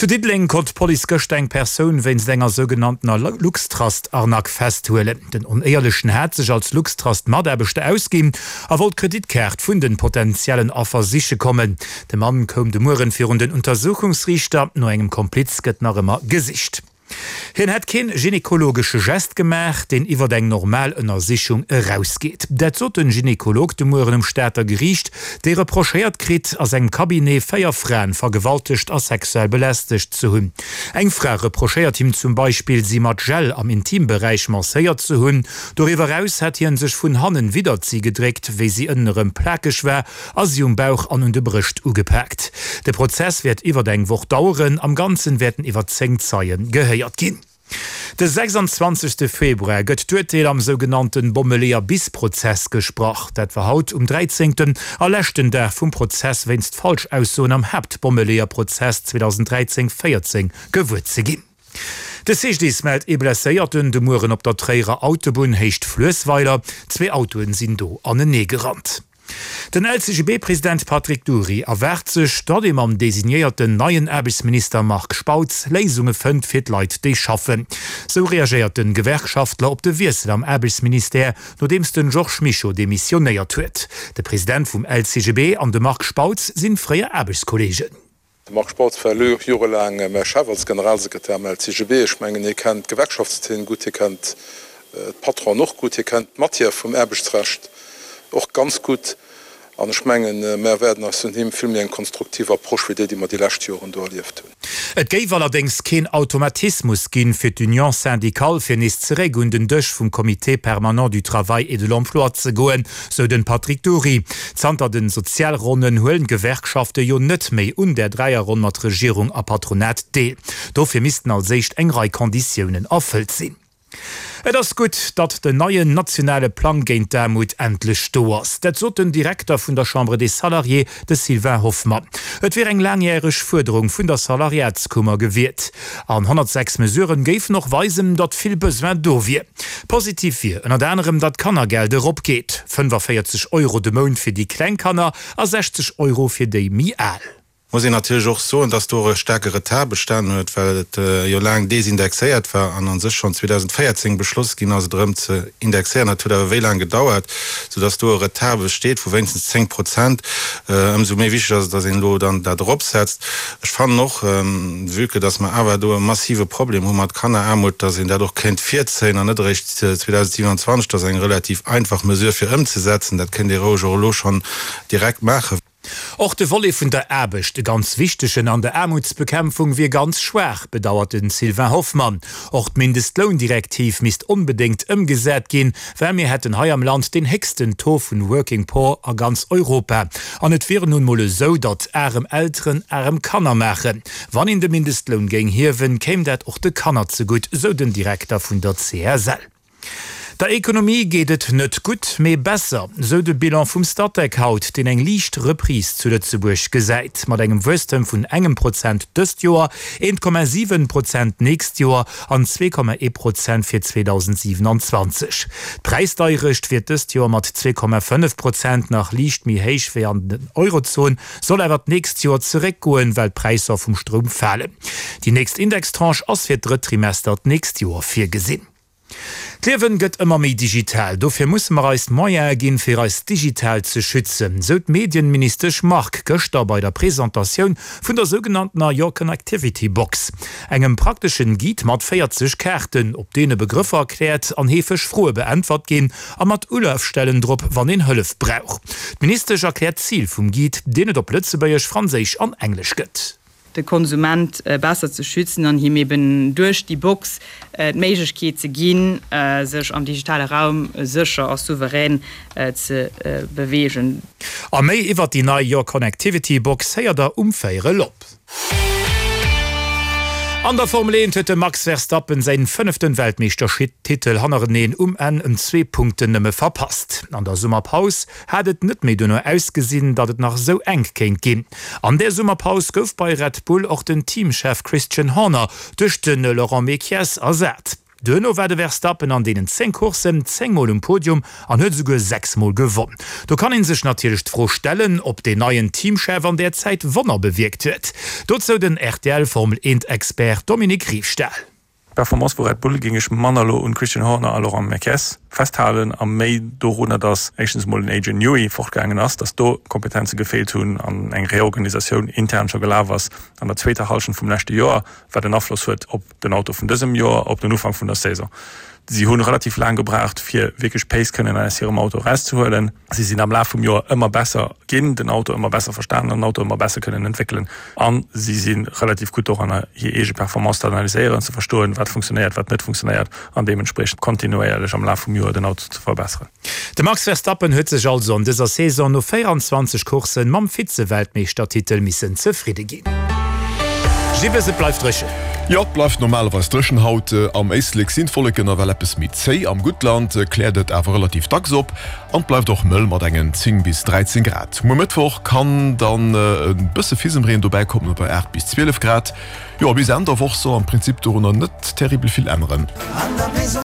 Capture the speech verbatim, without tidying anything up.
Zu Diddeleng konnt d'Police gëschter eng Persoun wéinst enger sougenanntener Luxtrust-Arnaque festhuelen. Den Onéierlechen hat sech als Luxtrust-Mataarbechter ausginn a wollt d'Kreditkaart vun den potentiellen Affer siche kommen. De Mann koum de Mueren virun den Untersuchungsriichter. No engem Kompliz gëtt nach ëmmer gesicht. Hien hätt keen gynekologesche Gest gemaach, deen iwwert eng normal Ënnersichung erausgeet. Dat sot den Gynekolog de Mueren um Stater Geriicht, dee reprochéiert kritt, a sengem Cabinet véier Fraen vergewaltegt a sexuell belästegt ze hunn. Eng Fra reprochéiert him zum Beispill, si mat Gel am Intimberäich masséiert ze hunn. Doriwwer eraus hätt hien sech vun hannen widdert si gedréckt, wéi si ënnenerëm plakeg war, a si um Bauch an un de Brëscht ugepaakt. De Prozess wäert iwwert eng Woch daueren, am Ganzen wäerten iwwer zéng Zeie gehéiert ginn. De sechsanzwanzegste Februar gëtt d'Urteel am sougenannte Bommeleeër-bis-Prozess gesprach. Dat war haut um dräizéngten a leschten Dag vum Prozess wéinst Falschaussoen am Haaptbommeleeër-Prozess zweedausenddräizéng véierzéng gewuer ze ginn. De C G D I S mellt ee Blesséierten de Mueren op der Tréierer Autobunn Héicht Fluessweiler. Zwee Autoen sinn do aneneegerannt. Den L C G B-President Patrick Dury erwaart sech, datt ee mam designéierten neien Aarbechtsminister Marc Spautz Léisunge fënnt fir d'Leit, déi schaffen. Sou reagéiert de Gewerkschaftler op de Wiessel am Aarbechtsministère, nodeems de Georges Mischo demissionéiert huet. De President vum L C G B an de Marc Spautz si fréier Aarbechtskolleegen. De Marc Spautz war jorelaang mäi Chef als Generalsekretär am L C G B. Ech mengen, hie kennt d'Gewerkschaftszeen gutt, hie kennt d'Patronen och gutt, hie kennt d'Matière vum Aarbechtsrecht och ganz gutt. An ech mengen, mär erwaarden eis vun him vill méi eng konstruktiv Approche wéi déi, déi mer déi lescht Joren do erlieft hunn. Et géif allerdéngs keen Automatismus ginn, fir d'Union syndicale fir nees zeréck un den Dësch vum Comité permanent du travail et de l'emploi ze goen, sou den Patrick Dury. Zanter den Sozialronnen huelen d'Gewerkschafte jo net méi un där Dräierronn mat Regierung a Patronat deel. Dofir missten als éischt eng Rei Konditiounen erfëllt sinn. Et ass gutt, datt den neien nationale Plang géint d'Aarmut endlech do ass. Dat sot den Direkter vun der Chambre des Salariés, de Sylvain Hoffmann. Et wier eng laangjäreg Fuerderung vun der Salariatskummer gewiert. An honnertsechs Mesuren géifen och weisen, datt vill Besoin do wier. Positiv wier ënnert anerem, datt d'Kannergeld eropgeet, fënnefaféierzeg Euro de Mount fir déi kleng Kanner a sechzeg Euro fir déi méi al. Muss een natierlech och soen, dass do och e staarke Retard bestanen huet, well et jo laang desindexéiert war an a sech schonn zweedausendvéierzéng beschloss ginn ass, et erëm ze indexéieren. Dat huet awer wéi laang gedauert, soudass do e Retard besteet vu wéinstens zéng Prozent. Ëmsou méi wichteg ass et, dass een elo dann dat eropsetzt. Ech fannen och, vue que dass mer awer do e massive Problem hu mat Kanneraarmut, dass een dat och kéint virzéien an net eréischt zweedausendsiewenanzwanzeg. Dat ass eng relativ einfach Mesure fir ëmzesetzen. Dat kéint ee roueg och elo schonn direkt maachen. Och de Volet vun der Aarbecht, e ganz wichtegen an der Aarmutsbekämpfung, wier ganz schwaach, bedauert de Sylvain Hoffmann. Och d'Mindestloundirektiv misst onbedéngt ëmgesat ginn, well mir hätten hei am Land deen héchsten Taux vun Working Poor a ganz Europa. An et wier nun mol esou, datt arem Elteren arem Kanner maachen. Wann een de Mindestloun géing hiewen, kéim dat och de Kanner zegutt, sou den Direkter vun der C S L. Der Ekonomie geet et net gutt, mee besser, sou de Bilan vum Statec haut, deen eng liicht Reprise zu Lëtzebuerg gesäit. Mat engem Wuesstem vun engem Prozent dëst Joer, eent Komma siwen Prozent d'nächst Joer an zwee Komma ee Prozent fir zweedausendsiewenanzwanzeg. D'Präisdeierecht wier dëst Joer mat zwee Komma fënnef Prozent nach liicht méi héich wéi an der Eurozon, soll awer d'nächst Joer zeréckgoen, well d'Präisser vum Stroum falen. Déi nächst Indextranche ass fir d'drëtt Trimester d'nächst Joer virgesinn. D'Liewen gëtt ëmmer méi digital, dofir musse mer eis d'Moyene ginn, fir eis digital ze schützen, sou d'Medienministesch Margue gëschter bei der Presentatioun vun der sougenanntener Your Connectivity Box, engem prakteschen Guide mat véierzeg Kaarten, op deene Begrëffer erkläert an heefeg Froe beäntwert ginn a mat Ulafstellen drop, wann een Hëllef brauch. D'Ministesch erkläert d'Zil vum Guide, deen et op Lëtzebuergesch, Franséisch an Englesch gëtt. De Konsument besser ze schützen an him eben duerch déi Box d'Méiglechkeet ze ginn, sech am digitale Raum sécher a souverän ze beweegen. A méi iwwert déi nei Your Connectivity Box héiert der um véierel op. An der Formel eent huet de Max Verstappen säin fënneften Weltmeeschtertitel hannereneen um Enn ëm zwee Punkten nëmme verpasst. An der Summerpaus hat et net méi dono ausgesinn, datt et nach esou enk kéint ginn. An där Summerpaus gouf bei Red Bull och den Teamchef Christian Horner duerch de Laurent Mekies ersat. Duerno war de Verstappen an deenen zéng Courssen zéng Mol um Podium an huet esouguer sechs Mol gewonn. Do kann ee sech natierlech d'Fro stellen, ob deen neien Teamchef an där Zäit Wonner bewierkt huet. Dozou den R T L-Formel-eent-Expert Dominique Riefstahl. D'Performance vu Red Bull géing ech manner elo un Christian Horner a Laurent Mekies festhalen a méi dorunner, datt éischtens emol den Adrian Newey fortgaangen ass, datt do Kompetenze gefeelt hunn an eng Reorganisatioun intern scho gelaf ass an der zweeter Hallschent vum leschte Joer, wat en Afloss huet op den Auto vun dësem Joer, op den Ufank vun der Saison. Si hunn relativ laang gebraucht, fir wierklech Pace kënnen aus hirem Auto erauszehuelen. Si sinn am Laf vum Joer ëmmer besser ginn, den Auto ëmmer besser verstanen an den Auto ëmmer besser kënnen entwéckelen. A si si relativ gutt doranner, hir eege Performance ze analyséieren, ze verstoen, wat funktionéiert, wat net funktionéiert an deementspriechend kontinuéierlech am Laf vum Joer den Auto ze verbesseren. De Max Verstappen huet sech also an dëser Saison no véieranzwanzeg Courssen mam Vize-Weltmeeschtertitel missen zefridde ginn. Gibbes, Et bleift dréchen. Jo, et bleift normalerweis dréchen haut. Am Éislek sinn d'Wolleken nawell eppes méi zéi, am Guttland kläert et awer relativ dacks op an et bleift och mëll mat engen zéng bis dräizéng Grad. Muer Mëttwoch kann dann e bësse Fisemreen dobäi kommen bei aacht bis zwielef Grad. Jo, a bis Enn der Woch soll am Prinzip dorunner net terribel vill änneren.